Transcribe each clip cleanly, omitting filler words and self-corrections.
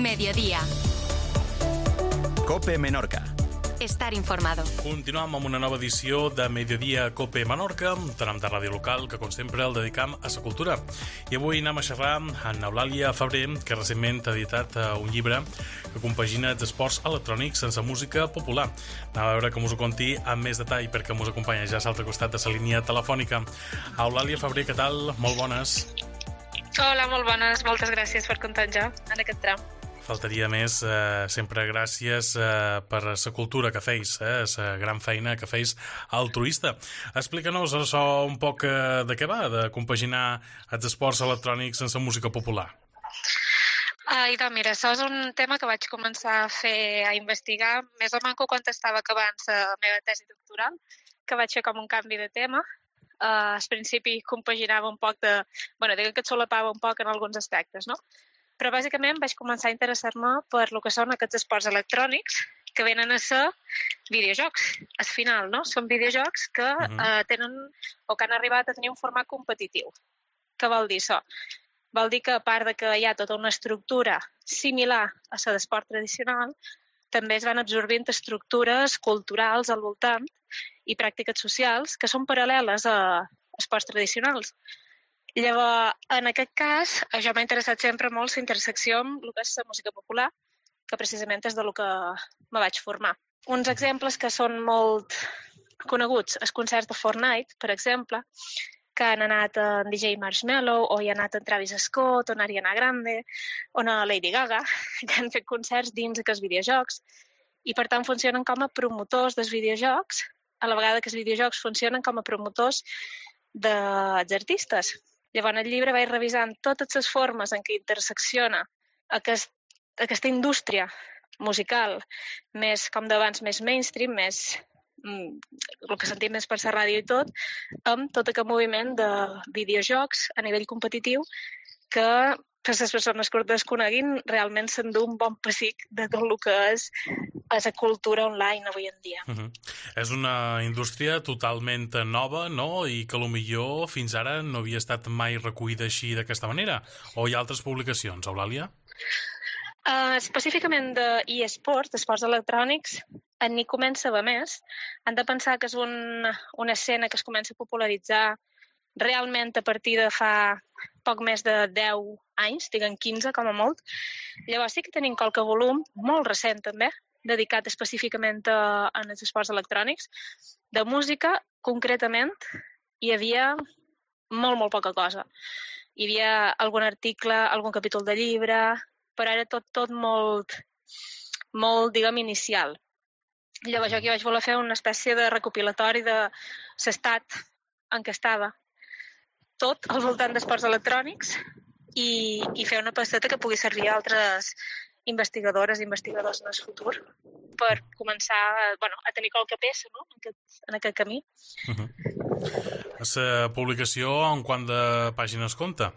Mediodía. COPE Menorca. Estar informado. Continuem amb una nova edició de Mediodía COPE Menorca, un tram de ràdio local que, com sempre, el dedicam a la cultura. I avui anem a xerrar amb Eulàlia Febrer, que recentment ha editat un llibre que compagina els esports electrònics sense música popular. Anem a veure que us ho conti amb més detall, perquè us acompanya ja a l'altre costat de la línia telefònica. Eulàlia Febrer, què tal? Molt bones. Hola, molt bones. Moltes gràcies per comptar ja en aquest tram. Faltaria més, sempre gràcies per la cultura que feis, la gran feina que feis altruista. Explica'ns això un poc de què va, de compaginar els esports electrònics sense música popular. Doncs mira, això és un tema que vaig començar a investigar més o manco quan estava acabant la meva tesi doctoral, que vaig fer com un canvi de tema. Al principi compaginava un poc de... diguem que et solapava un poc en alguns aspectes, no? Però bàsicament vaig començar a interessar-me per el que són aquests esports electrònics que venen a ser videojocs. Al final, no? Són videojocs que tenen o que han arribat a tenir un format competitiu. Què vol dir això? Vol dir que a part de que hi ha tota una estructura similar a la d'esport tradicional, també es van absorbint estructures culturals al voltant i pràctiques socials que són paral·leles a esports tradicionals. Llavors, en aquest cas, jo m'ha interessat sempre molt la intersecció amb el que és la música popular, que precisament és del que me vaig formar. Uns exemples que són molt coneguts, els concerts de Fortnite, per exemple, que han anat en DJ Marshmello, o hi ha anat en Travis Scott, o en Ariana Grande, o en Lady Gaga, que han fet concerts dins aquests videojocs, i per tant funcionen com a promotors dels videojocs, a la vegada que els videojocs funcionen com a promotors dels artistes. Llavors, el llibre vaig revisant totes les formes en què intersecciona aquesta indústria musical, més com d'abans, més mainstream, més el que sentim més per la ràdio i tot, amb tot aquest moviment de videojocs a nivell competitiu que per les persones que ho desconeguin realment s'endú un bon pessic de tot el que és la cultura online avui en dia. És una indústria totalment nova, no? I que potser fins ara no havia estat mai recollida així d'aquesta manera. O hi ha altres publicacions, Eulàlia? Específicament d'eSports, d'esports electrònics, ni comença a haver més. Han de pensar que és una escena que es comença a popularitzar realment a partir de fa poc més de 10 anys, diguem 15 com a molt. Llavors sí que tenim qualque volum, molt recent també, dedicat específicament als esports electrònics. De música, concretament, hi havia molt, molt poca cosa. Hi havia algun article, algun capítol de llibre, però era tot molt, diguem, inicial. Llavors jo aquí vaig voler fer una espècie de recopilatori de l'estat en què estava tot al voltant d'esports electrònics i fer una pasteta que pugui servir a altres investigadores i investigadors en el futur per començar a tenir qualque peça, no? en aquest camí. La publicació en quant de pàgines compta?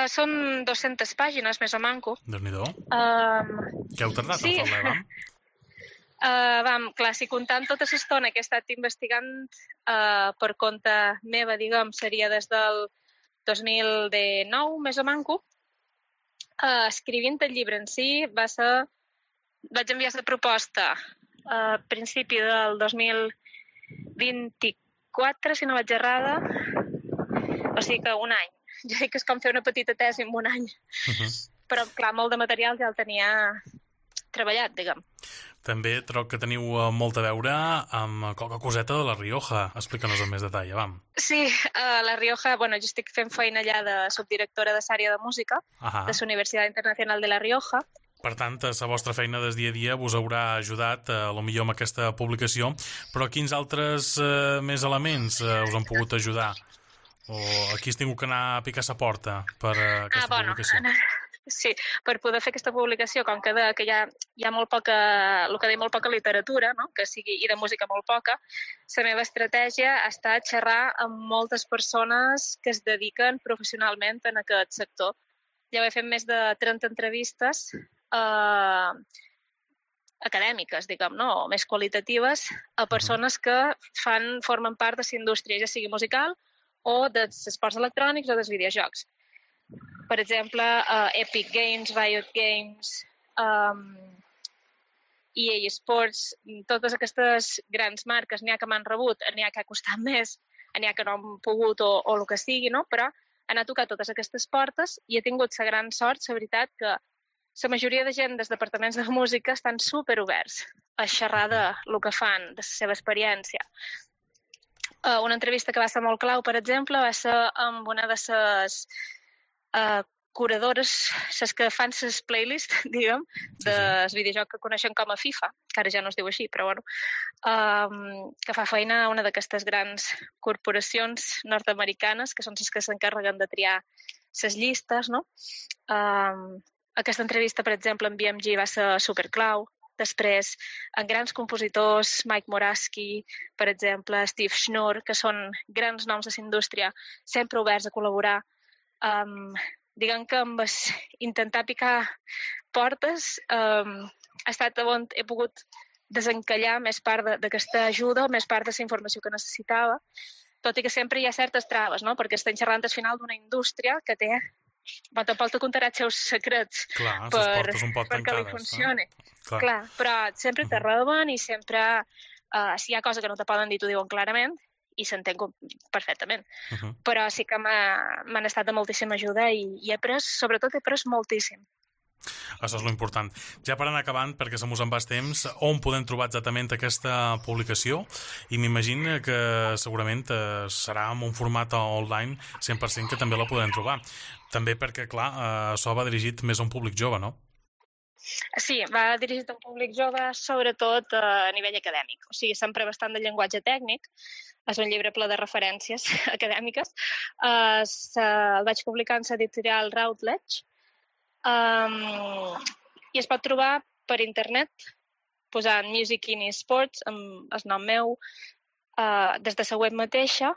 Són 200 pàgines, més o manco. Déu-n'hi-do. Què heu tardat en fer-la, Clar, si comptant tota l'estona que he estat investigant per compte meva, diguem, seria des del 2019, més o manco. Escrivint el llibre en si vaig enviar la proposta a principi del 2024, si no vaig errada, o sigui que un any. Jo dic que és com fer una petita tesi en un any. Però, clar, molt de material ja el tenia treballat, diguem. També troc que teniu molt a veure amb qualque coseta de La Rioja. Explica'ns amb més detall, vam. Sí, La Rioja, jo estic fent feina allà de subdirectora de l'àrea de música de la Universitat Internacional de La Rioja. Per tant, la vostra feina des dia a dia us haurà ajudat, potser amb aquesta publicació, però quins altres més elements us han pogut ajudar? O aquí has tingut que anar a picar la porta per aquesta publicació? Sí, per poder fer aquesta publicació, com que hi ha molt poca, el que deia, molt poca literatura, no? Que sigui, i de música molt poca, la meva estratègia ha estat xerrar amb moltes persones que es dediquen professionalment en aquest sector. Ja he fet més de 30 entrevistes acadèmiques, diguem, no? O més qualitatives, a persones que formen part de la indústria, ja sigui musical o dels esports electrònics o dels videojocs. per exemple, Epic Games, Riot Games, EA Sports, totes aquestes grans marques, n'hi ha que m'han rebut, n'hi ha que ha costat més, n'hi ha que no han pogut o el que sigui, no? Però han a tocar totes aquestes portes i he tingut la gran sort, la veritat, que la majoria de gent dels departaments de música estan superoberts a xerrar del que fan, de la seva experiència. Una entrevista que va ser molt clau, per exemple, va ser amb una de les curadores, les que fan les playlists, diguem, del videojoc que coneixen com a FIFA, que ara ja no es diu així, però bueno, que fa feina a una d'aquestes grans corporacions nord-americanes, que són les que s'encarreguen de triar les llistes, no? Aquesta entrevista, per exemple, en BMG va ser superclau. Després, en grans compositors, Mike Moraski, per exemple, Steve Schnur, que són grans noms de la indústria, sempre oberts a col·laborar. Diguem que amb intentar picar portes ha estat on he pogut desencallar més part d'aquesta ajuda, més part de la informació que necessitava, tot i que sempre hi ha certes traves, no? Perquè estem xerrant al final d'una indústria que té... Bueno, tampoc te contarà els seus secrets perquè li funcioni. Clar, però sempre te reben i sempre, si hi ha cosa que no te poden dir, t'ho diuen clarament i s'entén perfectament. Però sí que m'han estat de moltíssima ajuda i sobretot he après moltíssim. Això és l'important. Ja per anar acabant, perquè se mos en va el temps, on podem trobar exactament aquesta publicació? I m'imagino que segurament serà en un format online 100% que també la podem trobar. També perquè, clar, això va dirigit més a un públic jove, no? Sí, va dirigit a un públic jove, sobretot a nivell acadèmic. O sigui, s'empra bastant de llenguatge tècnic. És un llibre ple de referències acadèmiques. El vaig publicar en l'editorial Routledge. I es pot trobar per internet posant Music in eSports amb el nom meu des de la web mateixa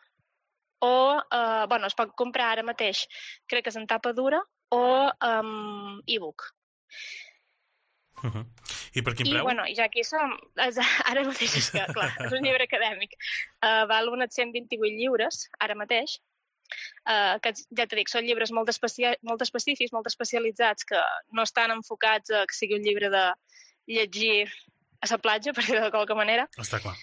o es pot comprar ara mateix, crec que és en tapa dura o e-book. I per quin preu? I ja aquí som ara mateix, és que clar, és un llibre acadèmic, val unes 128 lliures ara mateix, que ja t'he dit, són llibres molt específics, molt especialitzats, que no estan enfocats a que sigui un llibre de llegir a la platja, per dir-ho de qualque manera. Està clar.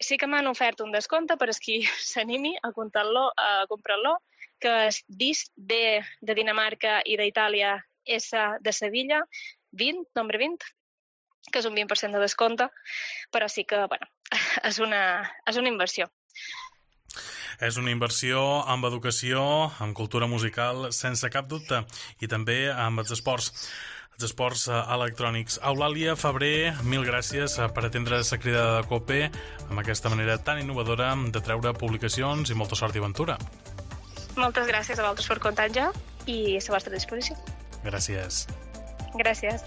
Sí que m'han ofert un descompte per a qui s'animi a comprar-lo, que és DIS, D de Dinamarca i d'Itàlia, S de Sevilla, 20, nombre 20, que és un 20% de descompte, però sí que, és una inversió. És una inversió amb educació, amb cultura musical, sense cap dubte, i també amb els esports electrònics. Eulàlia Febrer, mil gràcies per atendre la crida de COPE amb aquesta manera tan innovadora de treure publicacions i molta sort i aventura. Moltes gràcies a vosaltres per comptar-ja i a la vostra disposició. Gràcies. Gràcies.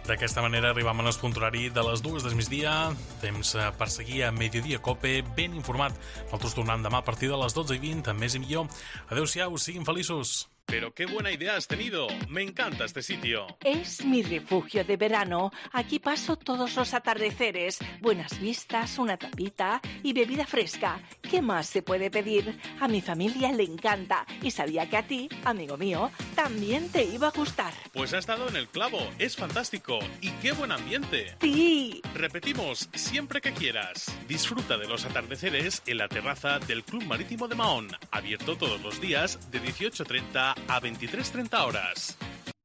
D'aquesta manera arribam al punt horari de les 2 del migdia, temps per seguir a Mediodía Cope ben informat. Nosaltres tornem demà a partir de les 12:20 amb més i millor. Adéu-siau, siguin feliços. Pero qué buena idea has tenido. Me encanta este sitio. Es mi refugio de verano. Aquí paso todos los atardeceres. Buenas vistas, una tapita y bebida fresca. ¿Qué más se puede pedir? A mi familia le encanta. Y sabía que a ti, amigo mío, también te iba a gustar. Pues has dado en el clavo. Es fantástico. Y qué buen ambiente. Sí. Repetimos, siempre que quieras. Disfruta de los atardeceres en la terraza del Club Marítimo de Mahón. Abierto todos los días de 18:30 a 23:30 horas.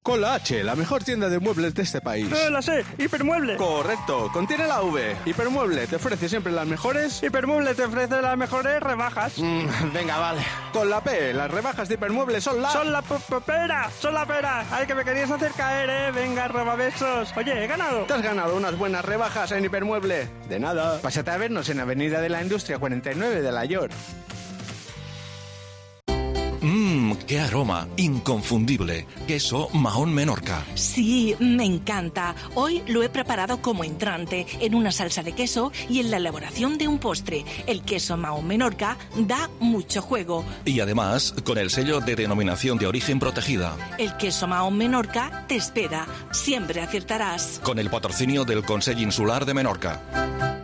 Con la H, la mejor tienda de muebles de este país. La sé, Hipermueble. Correcto, contiene la V. Hipermueble te ofrece siempre las mejores... Hipermueble te ofrece las mejores rebajas. Venga, vale. Con la P, las rebajas de Hipermueble son la... ¡Son la pera! ¡Son la pera! ¡Ay, que me querías hacer caer, Venga, robabesos. Oye, he ganado. Te has ganado unas buenas rebajas en Hipermueble. De nada. Pásate a vernos en Avenida de la Industria 49 de La York. ¡Qué aroma! Inconfundible. Queso Mahón Menorca. Sí, me encanta. Hoy lo he preparado como entrante, en una salsa de queso y en la elaboración de un postre. El queso Mahón Menorca da mucho juego. Y además, con el sello de denominación de origen protegida. El queso Mahón Menorca te espera. Siempre aciertarás. Con el patrocinio del Consell Insular de Menorca.